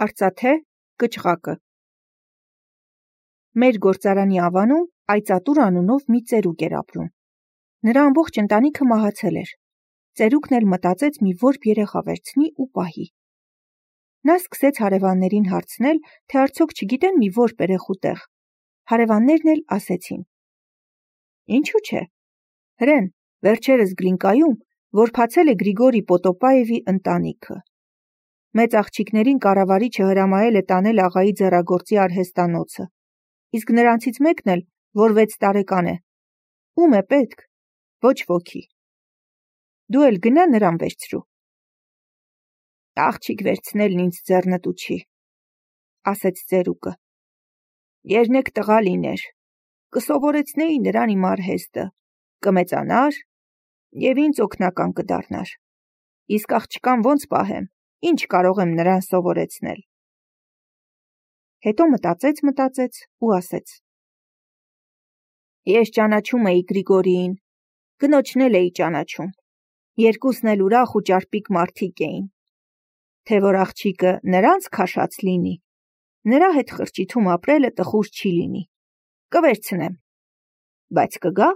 Արծաթե կճղակը։ Մեր գործարանի ավանում Այծատուր անունով մի ծերուկ էր ապրում։ Նրա ամբողջ ընտանիքը մահացել էր։ Ծերուկն էլ մտածեց մի որբ երեխա վերցնի ու պահի։ Նա սկսեց հարևաններին հարցնել, թե արդյոք չգիտեն մի որբ երեխու տեղ։ Հարևաններն էլ ասեցին. Ինչու՞ չէ։ Հրեն, վերջերս Գլինկայում որբացել է Գրիգորի Պոտոպաևի ընտանիքը։ Մեծ աղջիկներին կառավարիչը հրամայել է տանել աղայի ձեռագործի արհեստանոցը, իսկ նրանցից մեկն էլ, որ 6 տարեկան է, ում է պետք, ոչ ոքի։ Դու էլ գնա նրան վերցրու։ Աղջիկ վերցնելն ինձ ձեռնտու չի, ասեց ծերուկը։ Երնեք տղա լիներ, կսովորեցնեի նրան իմ արհեստը, կմեծանար և ինձ օգնական կդառնար։ Իսկ աղջկան ոնց պահեմ, ինչ կարող եմ նրան սովորեցնել։ Հետո մտածեց ու ասեց. Ես ճանաչում էի Գրիգորիին, կնոջն էլ էի ճանաչում։ Երկուսն էլ ուրախ ու ճարպիկ մարդիկ էին։ Թե որ աղջիկը նրանց քաշած լինի, նրա հետ խրճիթում ապրելը տխուր չի լինի։ Կվերցնեմ։ Բայց կգա։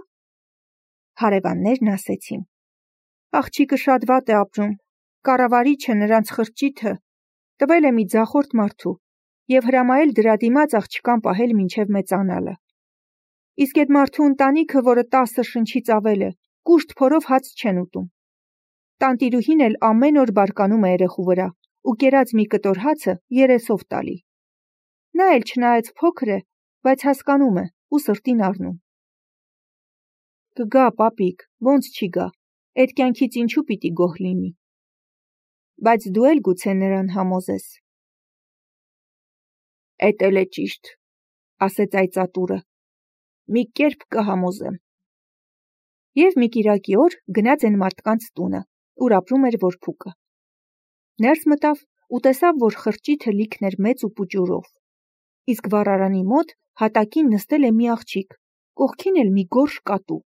Հարևաններն ասեցին. Աղջիկը շատ վատ է ապրում, կառավարիչը նրանց խրճիթը տվել է մի ձախորդ մարդու և հրամայել դրա դիմաց աղջկան պահել մինչև մեծանալը։ Իսկ այդ մարդու ընտանիքը, որը 10 շնչից ավել է, կուշտ փորով հաց չեն ուտում։ Տանտիրուհին էլ ամեն օր բարկանում է երեխու վրա ու կերած մի կտոր հացը երեսով տալի։ Նա էլ չնայած փոքր է, բայց հասկանում է ու սրտին առնում։ Կգա, պապիկ, ոնց չի գա, այդ կյանքից ինչու պիտի գոհ լինի։ Բայց դու էլ գուցե նրան համոզես։ Էդ էլ է ճիշտ, ասեց Այծատուրը։ Մի կերպ կհամոզեմ։ Եվ մի կիրակի օր գնաց այն մարդկանց տունը, ուր ապրում էր որբուկը։ Ներս մտավ ու տեսավ, որ խրճիթը լիքն էր մեծ ու պուճուրով։ Իսկ վառարանի մոտ հատակին նստել է մի աղջիկ, կողքին էլ մի գորշ կատու։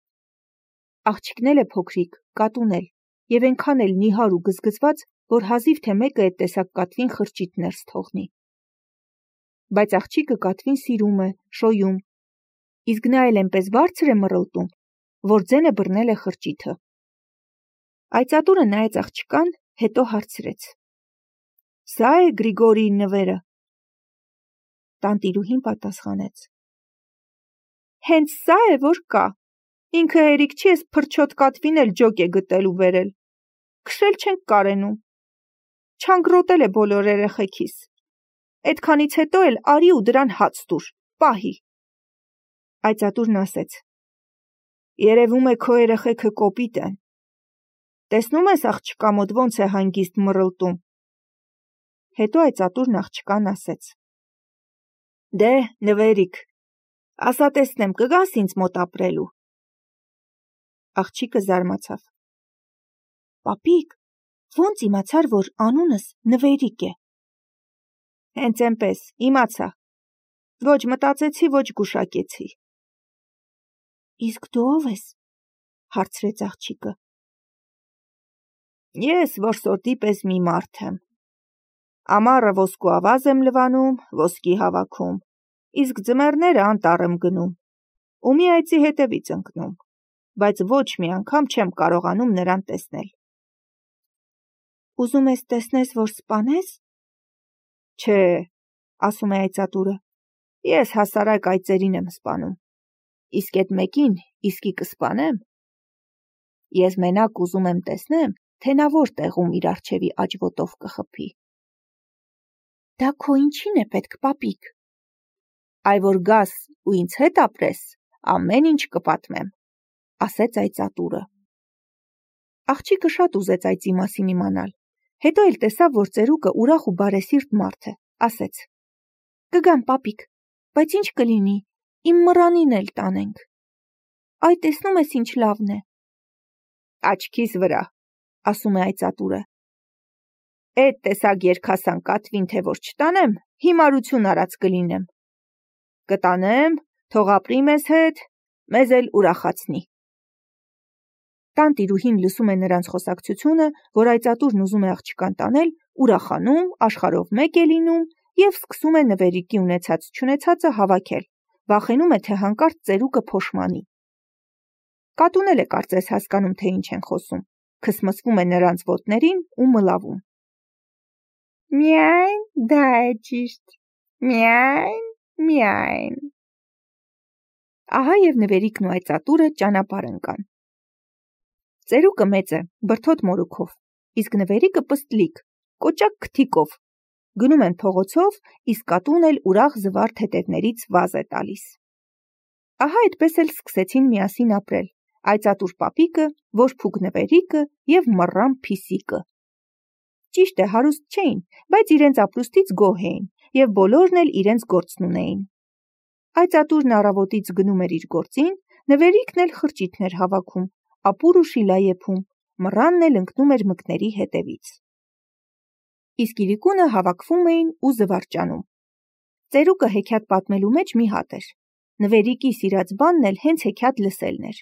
Աղջիկն էլ է փոքրիկ, կատուն էլ, և այնքան էլ նիհար ու գզգզված, որ հազիվ թե մեկը այդ տեսակ կատվին խրճիթ ներս թողնի։ Բայց աղջիկը կատվին սիրում է, շոյում, իսկ նա էլ այնպես բարձր է մռլտում, որ ձենը բռնել է խրճիթը։ Այծատուրը նայեց աղջկան, հետո հարցրեց. Սա է Գրիգորիի նվերը։ Տանտիրուհին պատասխանեց. Հենց սա է, որ կա։ Ինքը հերիք չի էս փրչոտ կատվին էլ ջոկ է գտել ու վերել։ Քշել չենք կարենում։ Չանգրոտել է բոլոր երեխեքիս։ Այդքանից հետո էլ արի ու դրան հաց տուր, պահի։ Այծատուրն ասեց. Երևում է քո երեխեքը կոպիտ են։ Տեսնում ես աղջկա մոտ ոնց է հանգիստ մռլտում։ Հետո Այծատուրն աղջկան ասեց. Դե, նվերիկ, ասա տեսնեմ, կգաս ինձ մոտ ապրելու։ Աղջիկը զարմացավ. Պապիկ, ոնց իմացար, որ անունս Նվերիկ է։ Հենց այնպես, իմացա։ Ոչ մտածեցի, ոչ գուշակեցի։ Իսկ դու ով ես, հարցրեց աղջիկը։ Ես որսորդի պես մի մարդ եմ։ Ամառը ոսկու ավազ եմ լվանում, ոսկի հավաքում, իսկ ձմեռները անտառ եմ գնում, ու մի այծի հետևից ընկնում, բայց ոչ մի անգամ չեմ կարողանում նրան տեսնել։ Ուզում ես տեսնես, որ սպանես։ Չէ, ասում է Այծատուրը, ես հասարակ այծերին եմ սպանում, իսկ այդ մեկին իսկի կսպանեմ։ Ես մենակ ուզում եմ տեսնեմ, թե նա որ տեղում իր առջևի աջ ոտով կխփի։ Դա քո ինչին է պետք, պապիկ։ Այ որ գաս ու ինձ հետ ապրես, ամեն ինչ կպատմեմ, ասեց Այծատուրը։ Աղջիկը շատ ուզեց այծի մասին իմանալ, հետո էլ տեսավ, որ ծերուկը ուրախ ու բարեսիրտ մարդ է, ասեց. Կգամ, պապիկ, բայց ինչ կլինի, իմ մռանին էլ տանենք։ Այ տեսնում ես ինչ լավն է։ Աչքիս վրա, ասում է Այծատուրը։ Էդ տեսակ երկհասան կատվին թե որ չտանեմ, հիմարություն արած կլինեմ։ Կտանեմ, թող ապրի մեզ հետ, մեզ էլ ուրախացնի։ Տանտիրուհին լսում է նրանց խոսակցությունը, որ Այծատուրն ուզում է աղջկան տանել ուրախանում, աշխարհով մեկ է լինում և սկսում է նվերիկի ունեցած-չունեցածը հավաքել, վախենում է, թե հանկարծ ծերուկը փոշմանի։ Կատուն էլ է կարծես հասկանում, թե ինչ են խոսում, քսմսվում է նրանց ոտներին ու մլավում։ Միայն, դա է ճիշտ, միայն, միայն։ Ահա և նվերիկն ու այծատուրը ճանապարհ ընկան։ Ծերուկը մեծ է, բրդոտ մորուքով, իսկ նվերիկը պստլիկ, կոճակ քթիկով։ Գնում են փողոցով, իսկ կատուն էլ ուրախ զվարթ հետևներից վազ է տալիս։ Ահա այդպես էլ սկսեցին միասին ապրել այծատուր պապիկը, որփուկ նվերիկը և մռան Փիսիկը։ Ճիշտ է, հարուստ չէին, բայց իրենց ապրուստից գոհ էին և բոլորն էլ իրենց գործն ունեին։ Այծատուրն առավոտից գնում էր իր գործին, նվերիկն էլ խրճիթներ հավաքում, ապուր ու շիլա եփում, մռանն էլ ընկնում էր մկների հետևից։ Իսկ իրիկունը հավաքվում էին ու զվարճանում։ Ծերուկը հեքիաթ պատմելու մեջ մի հատ էր։ Նվերիկի սիրած բանն էլ հենց հեքիաթ լսելն էր։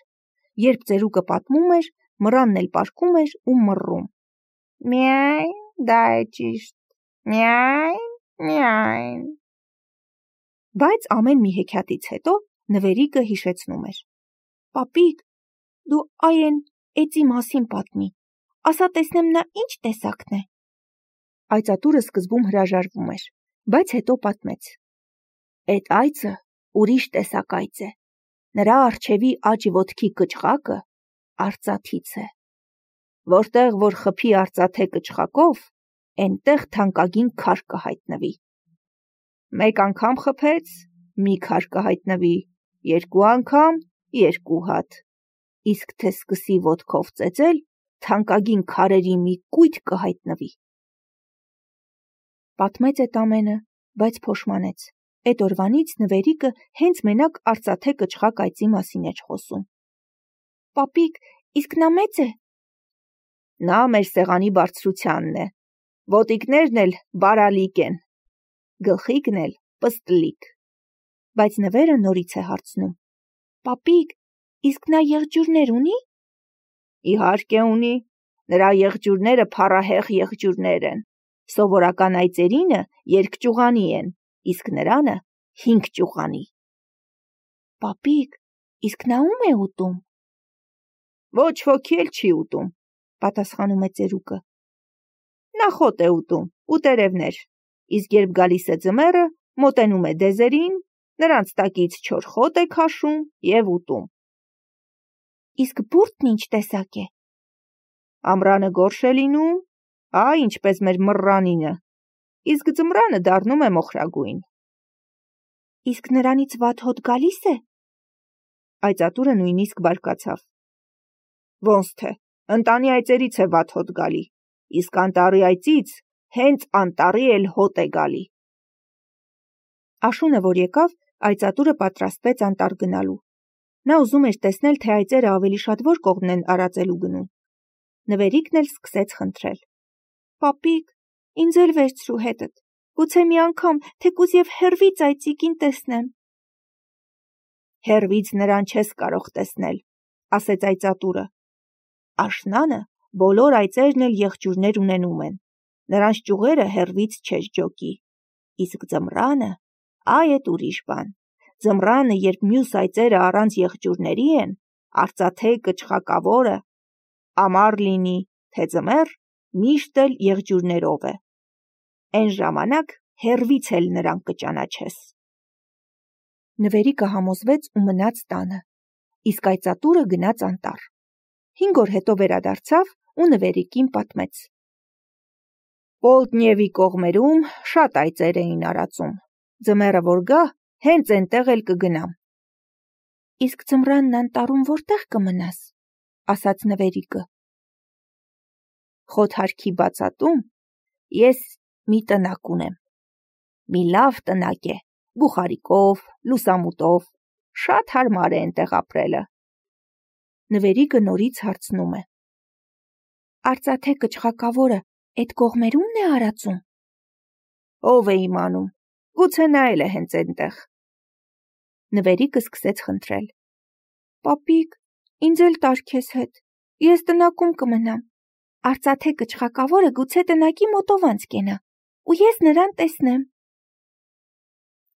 Երբ ծերուկը պատմում էր, մռանն էլ պառկում էր ու մռռում. Միայն, դա է ճիշտ, միայն, միայն։ Բայց ամեն մի հեքիաթից հետո նվերիկը հիշեցնում էր. Պապիկ, դու այն էծի մասին պատմի, ասա տեսնեմ նա ինչ տեսակն է։ Այծատուրը սկզբում հրաժարվում էր, բայց հետո պատմեց. Էդ այծը ուրիշ տեսակ այծ է, նրա առջևի աջ ոտքի կչղակը արծաթից է, որտեղ որ խփի արծաթե կչղակով, էնտեղ թանկագին քար կհայտնվի։ Մեկ անգամ խփեց, մի քար կհայտնվի, երկու անգամ, երկու հատ, իսկ թե սկսի ոտքով ծեծել, թանկագին քարերի մի կույտ կհայտնվի։ Պատմեց էդ ամենը, բայց փոշմանեց։ Էդ օրվանից նվերիկը հենց մենակ արծաթե կչղակ այծի մասին էր խոսում։ Պապիկ, իսկ նա մեծ է։ Նա մեր սեղանի բարձրությանն է, ոտիկներն էլ բարալիկ են, գլխիկն էլ պստլիկ։ Բայց նվերը նորից է հարցնում. Պապիկ, իսկ նա եղջյուրներ ունի։ Իհարկե ունի, նրա եղջյուրները փառահեղ եղջյուրներ են, սովորական այծերինը երկճյուղանի են, իսկ նրանը 5 ճյուղանի։ Պապիկ, իսկ նա ում է ուտում։ Ոչ ոքի էլ չի ուտում, պատասխանում է ծերուկը։ Նա խոտ է ուտում, ուտերևներ, իսկ երբ գալիս է ձմեռը, մոտենում է դեզերին, նրանց տակից չոր խոտ է քաշում և ուտում։ Իսկ բուրդն ինչ տեսակ է։ Ամռանը գորշ է լինում, ինչպես մեր մռանինը, իսկ ձմռանը դառնում է մոխրագույն։ Իսկ նրանից վատ հոտ գալիս է։ Այծատուրը նույնիսկ բարկացավ։ Ոնց թե, ընտանի այծերից է վատ հոտ գալի, իսկ անտառի այծից հենց անտառի էլ հոտ է գալի։ Աշունը, որ եկավ, այծատուրը պատրաստվեց անտառ գնալու։ Նա ուզում էր տեսնել, թե այծերը ավելի շատ որ կողմն են արածելու գնում։ Նվերիկն էլ սկսեց խնդրել. Պապիկ, ինձ էլ վերցրու հետդ, գուցե մի անգամ, թեկուզ և հեռվից այծիկին տեսնեմ։ Հեռվից նրան չես կարող տեսնել, ասեց այծատուրը։ Աշնանը բոլոր այծերն էլ եղջյուրներ ունենում են, նրանց ճյուղերը հեռվից չես ջոկի, իսկ ձմռանը, այդ ուրիշ բան, ձմռանը, երբ մյուս այծերը առանց եղջյուրների են, արծաթե կչղակավորը, ամառ լինի, թե ձմեռ, միշտ էլ եղջյուրներով է, էն ժամանակ հեռվից էլ նրան կճանաչես։ Նվերիկը համոզվեց ու մնաց տանը, իսկ այծատուրը գնաց անտառ։ 5 օր հետո վերադարձավ ու նվերիկին պատմեց. Պոլտնևի կողմերում շատ այծեր էին արածում, ձմեռը որ գա, հենց էնտեղ էլ կգնամ։ Իսկ ձմռանն անտառում որտեղ կմնաս, ասաց նվերիկը։ Խոթարքի բացատում ես մի տնակ ունեմ, մի լավ տնակ է, բուխարիկով, լուսամուտով, շատ հարմար է էնտեղ ապրելը։ Նվերիկը նորից հարցնում է. Արծաթե կչղակավորը էդ կողմերումն է արածում։ Ով է իմանում, գուցե նա էլ է հենց էնտեղ։ Նվերիկը սկսեց խնդրել. Պապիկ, ինձ էլ տար քեզ հետ, ես տնակում կմնամ, Արծաթե կչխակավորը գուցե տնակի մոտով անց կենա, ու ես նրան տեսնեմ։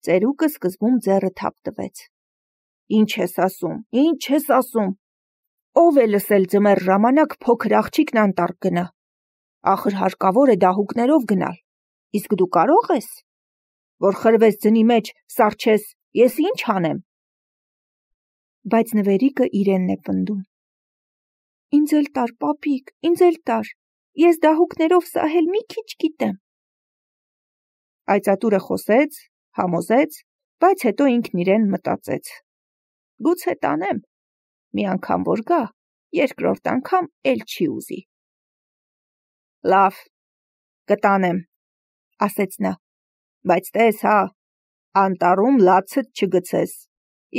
Ծերուկը սկզբում ձեռը թափ տվեց։ Ինչ ես ասում։ Ով է լսել ձմեռ ժամանակ փոքր աղջիկն անտառ գնա։ Ախր հարկավոր է դահուկներով գնալ։ Իսկ դու կարող ես, որ խրվես ձնի մեջ, սառչես, ես ինչ անեմ։ Բայց նվերիկը իրենն է պնդում։ Ինձ էլ տար, պապիկ, ինձ էլ տար։ Ես դահուկներով սահել մի քիչ գիտեմ։ Այծատուրը խոսեց, համոզեց, բայց հետո ինքն իրեն մտածեց. Գուցե տանեմ, մի անգամ որ գա, երկրորդ անգամ էլ չի ուզի։ Լավ, կտանեմ, ասեց նա, բայց տես հա, անտառում լացդ չգցես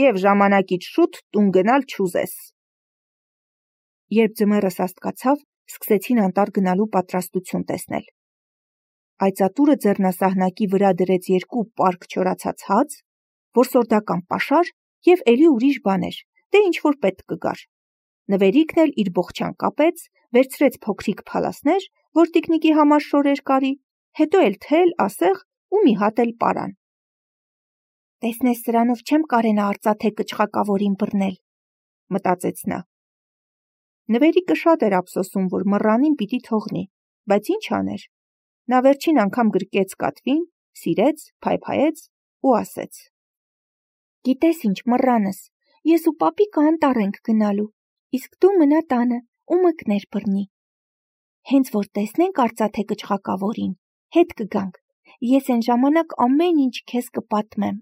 և ժամանակից շուտ տուն գնալ չուզես։ Երբ ձմեռը սաստկացավ, սկսեցին անտառ գնալու պատրաստություն տեսնել։ Այծատուրը ձեռնասահնակի վրա դրեց 2 պարկ չորացած հաց, որսորդական պաշար և էլի ուրիշ բաներ, դե ինչ-որ պետք կգար։ Նվերիկն էլ իր բոխչան կապեց, վերցրեց փոքրիկ փալասներ, որ տիկնիկի համար շորեր կարի, հետո էլ թել, ասեղ ու մի հատ էլ պարան։ Տեսնես սրանով չեմ կարենա արծաթե կչխակավորին բռնել, մտածեց նա։ Նվերիկը շատ էր ափսոսում, որ մռանին պիտի թողնի, բայց ինչ աներ։ Նա վերջին անգամ գրկեց կատվին, սիրեց, փայփայեց ու ասեց. Գիտես ինչ, մռանս, ես ու պապիկը անտառ ենք գնալու, իսկ դու մնա տանը ու մկներ բռնի։ Հենց որ տեսնենք արծաթե կչխակավորին, հետ կգանք, ես այն ժամանակ ամեն ինչ քեզ կպատմեմ։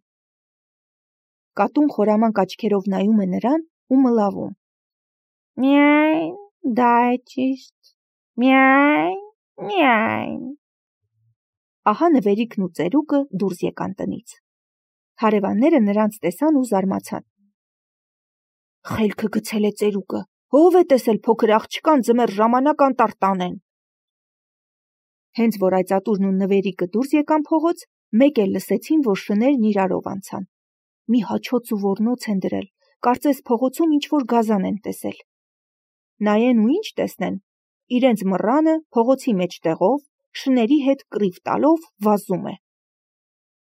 Կատուն խորամանկ աչքերով նայում է նրան ու մլավում։ Միայն, դա է ճիշտ, միայն։ Ահա նվերիկն ու ծերուկը դուրս եկան տնից։ Հարևանները նրանց տեսան ու զարմացան։ Խելքը գցել է ծերուկը, ով է տեսել փոքր աղջկան ձմեռ ժամանակ անտառ տանեն։ Հենց որ այծատուրն ու նվերիկը դուրս եկան փողոց, մեկ էլ լսեցին, որ շներն իրարով անցան։ Մի հաչոց ու ոռնոց են դրել, կարծես փողոցում ինչ-որ գազան են տեսել։ Նայեն ու ինչ տեսնեն, իրենց մռանը փողոցի մեջտեղով, շների հետ կռիվ տալով վազում է։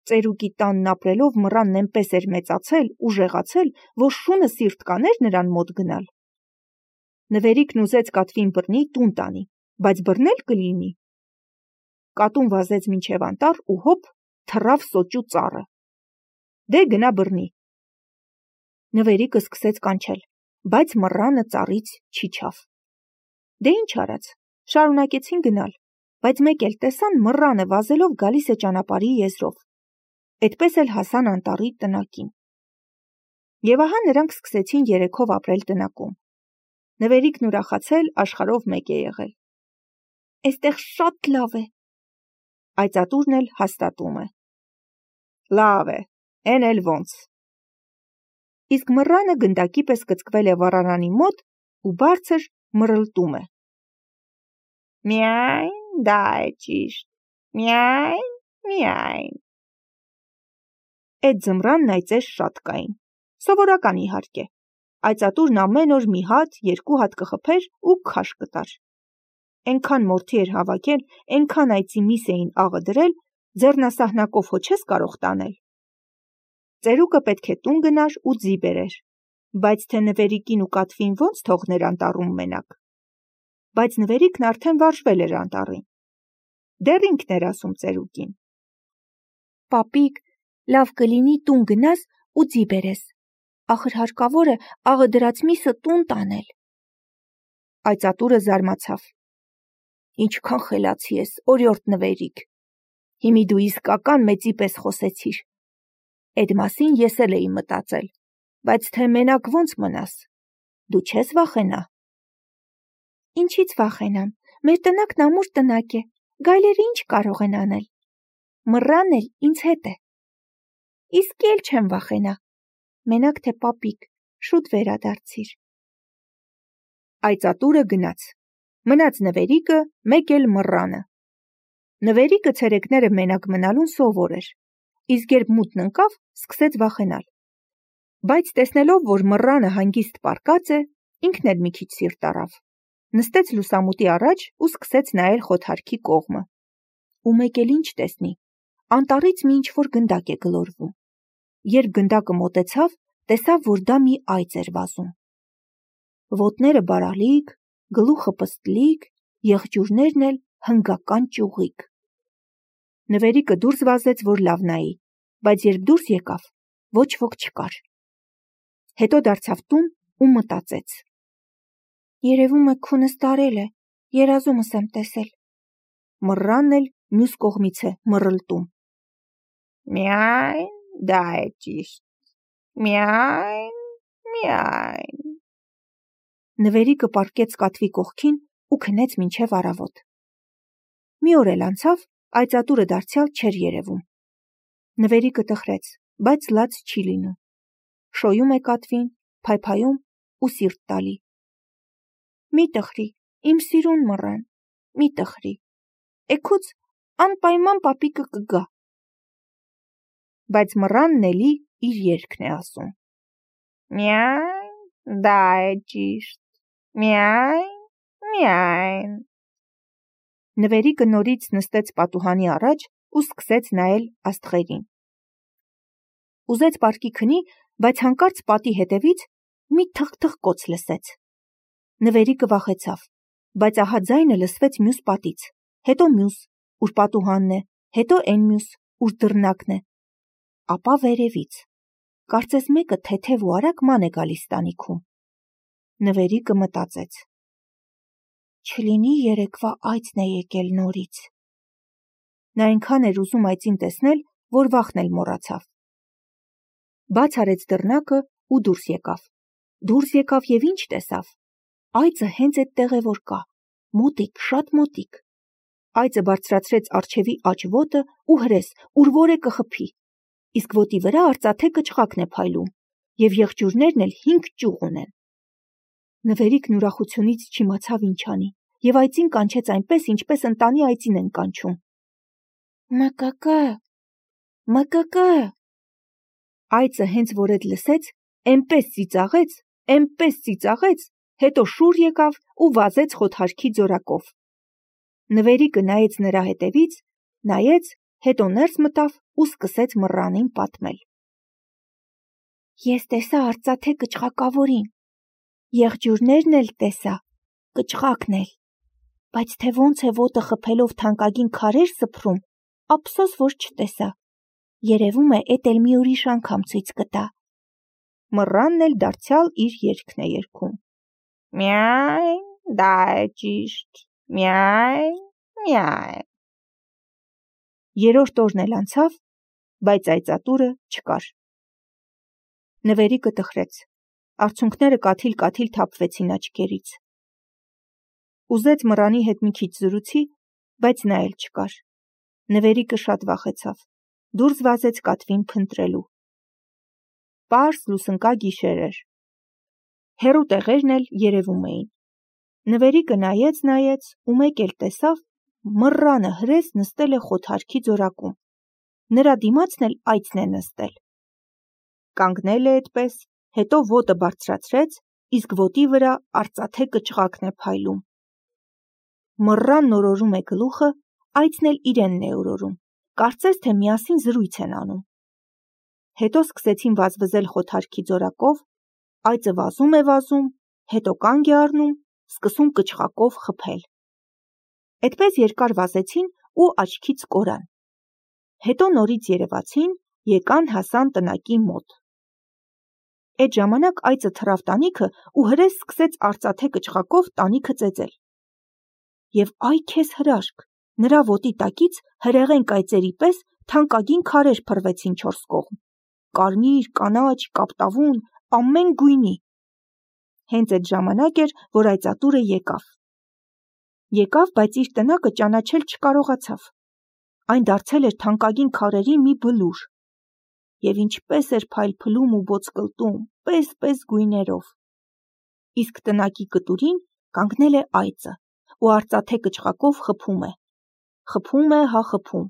Ծերուկի տանն ապրելով մռանն այնպես էր մեծացել ու ժեղացել, որ շունը սիրտ կաներ նրան մոտ գնալ։ Նվերիկն ուզեց կատվին բռնի տուն տանի, բայց բռնել կլինի։ Կատուն վազեց մինչև անտառ ու հոп թռավ սոճու ծառը։ Դե գնա բռնի։ Նվերիկը սկսեց կանչել, բայց մռանը ծառից չիջավ։ Դե ինչ արած, շարունակեցին գնալ, բայց մեկ էլ տեսան մռանը վազելով գալիս է ճանապարհի եզրով։ Այդպես էլ հասան անտառի տնակին։ Եվ ահա նրանք սկսեցին երեքով ապրել տնակում։ Նվերիկն ուրախացել աշխարհով մեկ է եղել։ Էստեղ շատ լավ է։ Այծատուրն էլ հաստատում է։ Լավ է, էն էլ ոնց։ Իսկ մռանը գնդակի պես կծկվել է վառարանի մոտ ու բարձր մռլտում է։ Միայն, դա է ճիշտ, միայն։ Այդ ձմռանն այծեր շատ կային, սովորական իհարկե, այծատուրն ամեն օր մի հատ, 2 հատ կխփեր ու քաշ կտար։ Էնքան մորթի էր հավաքել, էնքան այծի միս էին աղը դրել, ձեռնասահնակով հո չես կարող տանել։ Ծերուկը պետք է տուն գնար ու ձի բերեր, բայց թե նվերիկին ու կատվին ոնց թողներ անտառում մենակ։ Բայց նվերիկն արդեն վարժվել էր անտառին։ Դեռ ինքն էր ասում ծերուկին. Պապիկ, լավ կլինի տուն գնաս ու ձի բերես, ախր հարկավոր է աղը դրած միսը տուն տանել։ Այծատուրը զարմացավ. Ինչքան խելացի ես, օրիորդ նվերիկ, հիմի դու իսկական մեծի պես խոսեցիր։ Այդ մասին ես էլ էի մտածել, բայց թե մենակ ոնց մնաս, դու չես վախենա։ Ինչից վախենամ, մեր տնակն ամուր տնակ է, գայլերը ինչ կարող են անել։ Մռան էլ ինձ հետ է։ Իսկ էլ չեմ վախենա, մենակ թե պապիկ, շուտ վերադարձիր։ Այծատուրը գնաց, մնաց նվերիկը, մեկ էլ մռանը։ Նվերիկը ցերեկները մենակ մնալուն սովոր էր, իսկ երբ մութն ընկավ, սկսեց վախենալ։ Բայց տեսնելով, որ մռանը հանգիստ պառկած է, ինքն էլ մի քիչ սիրտ առավ։ նստեց լուսամուտի առաջ ու սկսեց նայել խոթարքի կողմը։ Ու մեկ էլ ինչ տեսնի, անտառից մի ինչ-որ գնդակ է գլորվում։ Երբ գնդակը մոտեցավ, տեսավ, որ դա մի այծ էր վազում։ Ոտները բարալիկ, գլուխը պստլիկ, եղջյուրներն էլ հնգական ճյուղիկ։ Նվերիկը դուրս վազեց, որ լավ նայի, բայց երբ դուրս եկավ, ոչ ոք չկար։ Հետո դարձավ տուն ու մտածեց. երևում է քունս տարել է, երազումս եմ տեսել։ Մռանն էլ մյուս կողմից է մռլտում. Միայն, դա է ճիշտ, միայն, միայն։ Նվերիկը պառկեց կատվի կողքին ու քնեց մինչև առավոտ։ Մի օր էլ անցավ, այծատուրը դարձյալ չէր երևում։ Նվերիկը տխրեց, բայց լաց չի լինում։ Շոյում է կատվին, փայփայում ու սիրտ տալի։ Մի տխրի, իմ սիրուն մռան, մի տխրի, էգուց անպայման պապիկը կգա։ Բայց մռանն էլի իր երգն է ասում. միայն, դա է ճիշտ, միայն, միայն։ Նվերիկը նորից նստեց պատուհանի առաջ ու սկսեց նայել աստղերին։ Ուզեց պարկի քնի, բայց հանկարծ պատի հետևից մի թխ-թխկոց լսեց։ Նվերիկը վախեցավ, բայց ահա ձայնը լսվեց մյուս պատից, հետո մյուս, ուր պատուհանն է, հետո էն մյուս, ուր դռնակն է, ապա վերևից։ Կարծես մեկը թեթև ու արագ ման է գալիս տանիքում։ Նվերիկը մտածեց. չլինի երեկվա այծն է եկել նորից։ Նա այնքան էր ուզում այծին տեսնել, որ վախն էլ մոռացավ։ Բաց արեց դռնակը ու դուրս եկավ։ Դուրս եկավ և ինչ տեսավ։ Այծը հենց էդտեղ է որ կա, մոտիկ, շատ մոտիկ։ Այծը բարձրացրեց առջևի աջ ոտը ու հրես, ուր որ է կխփի։ Իսկ ոտի վրա արծաթե կճղակն է փայլում, և եղջյուրներն էլ 5 ճյուղ ունեն։ Նվերիկն ուրախությունից չիմացավ ինչ անի, և այծին կանչեց այնպես, ինչպես ընտանի այծին են կանչում. մկկը, մկկը։ Այծը հենց որ էդ լսեց, էնպես ծիծաղեց, հետո շուռ եկավ ու վազեց խոթարքի ձորակով։ Նվերիկը նայեց նրա հետևից, նայեց, հետո ներս մտավ ու սկսեց մռանին պատմել. Ես տեսա արծաթե կճղակավորին, եղջյուրներն էլ տեսա, կճղակն էլ, բայց թե ոնց է ոտը խփելով թանկագին քարեր սփռում, ափսոս որ չտեսա, երևում է էդ էլ մի ուրիշ անգամ ցույց կտա։ Մռանն էլ դարձյալ իր երգն է երգում. միայն, դա է ճիշտ, միայն, միայն։ Երրորդ օրն էլ անցավ, բայց այծատուրը չկար։ Նվերիկը տխրեց, արցունքները կաթիլ-կաթիլ թափվեցին աչքերից։ Ուզեց մռանի հետ մի քիչ զրուցի, բայց նա էլ չկար։ Նվերիկը շատ վախեցավ, դուրս վազեց կատվին փնտրելու։ Պարզ լուսնկա գիշեր էր։ Հեռու տեղերն էլ երևում էին։ Նվերիկը նայեց ու մեկ էլ տեսավ, մռանը հրես նստել է խոթարքի ձորակում։ Նրա դիմացն էլ այծն է նստել։ Կանգնել է էդպես, հետո ոտը բարձրացրեց, իսկ ոտի վրա արծաթե կճղակն է փայլում։ Մռանն օրորում է գլուխը, այծն էլ իրենն է օրորում, կարծես թե միասին զրույց են անում։ Հետո սկսեցին վազվզել խոթարքի ձորակով, այծը վազում է վազում, հետո կանգ է առնում, սկսում կճղակով խփել։ Էդպես երկար վազեցին ու աչքից կորան։ Հետո նորից երևացին, եկան հասան տնակի մոտ։ Այդ ժամանակ այծը թռավ տանիքը ու հրես սկսեց արծաթե կճղակով տանիքը ծեծել։ Եվ այ քեզ հրաշք, նրա ոտի տակից հրեղեն կայծերի պես թանկագին քարեր փռվեցին 4 կողմ, կարմիր, կանաչ, կապտավուն, ամեն գույնի։ Հենց այդ ժամանակ էր, որ այծատուրը եկավ, բայց իր տնակը ճանաչել չկարողացավ։ Այն դարձել էր թանկագին քարերի մի բլուր։ Եվ ինչպես էր փայլփլում ու ոսկլտում, պես գույներով։ Իսկ տնակի կտուրին կանգնել է այծը ու արծաթե կճղակով խփում է։ Խփում է, հա խփում,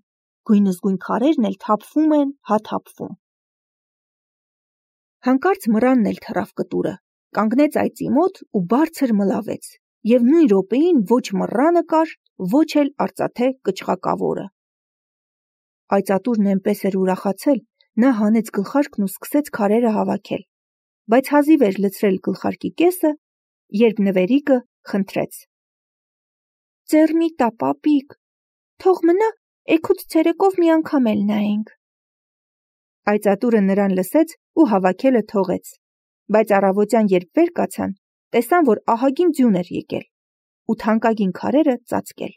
գույնզգույն քարերն էլ թափվում են, հա թափվում։ Հանկարծ մռանն էլ թռավ կտուրը, կանգնեց այծի մոտ ու բարձր մլավեց և նույն րոպեին ոչ մռանը կար, ոչ էլ արծաթե կչղակավորը։ Այծատուրն էնպես էր ուրախացել, նա հանեց գլխարկն ու սկսեց քարերը հավաքել, բայց հազիվ էր լցրել գլխարկի կեսը, երբ նվերիկը խնդրեց. «Ձեռ մի տա, պապիկ, թող մնա, էգուց ցերեկով մի անգամ էլ նայենք»։ Այծատուրը նրան լսեց ու հավաքելը թողեց, բայց առավոտյան երբ վեր կացան, տեսան, որ ահագին ձյուն էր եկել ու թանկագին քարերը ծածկել։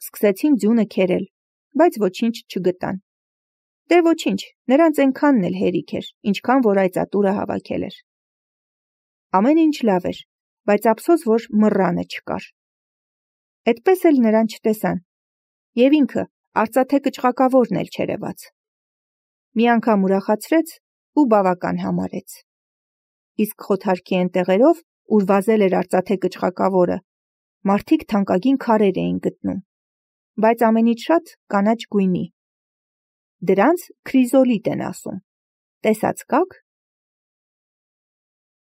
Սկսեցին ձյունը քերել, բայց ոչինչ չգտան։ Դե ոչինչ, նրանց այնքանն էլ հերիք էր, ինչքան որ այծատուրը հավաքել էր։ Ամեն ինչ լավ էր, բայց ափսոս, որ մռանը չկար։ Էդպես էլ նրան չտեսան, և ինքը արծաթե կչղակավորն էլ չերևաց։ Մի անգամ ուրախացրեց ու բավական համարեց։ Իսկ խոթարքի էն տեղերով, ուր վազել էր արծաթե կչղակավորը, մարդիկ թանկագին քարեր էին գտնում, բայց ամենից շատ կանաչ գույնի։ Դրանց քրիզոլիտ են ասում։ Տեսած կաք։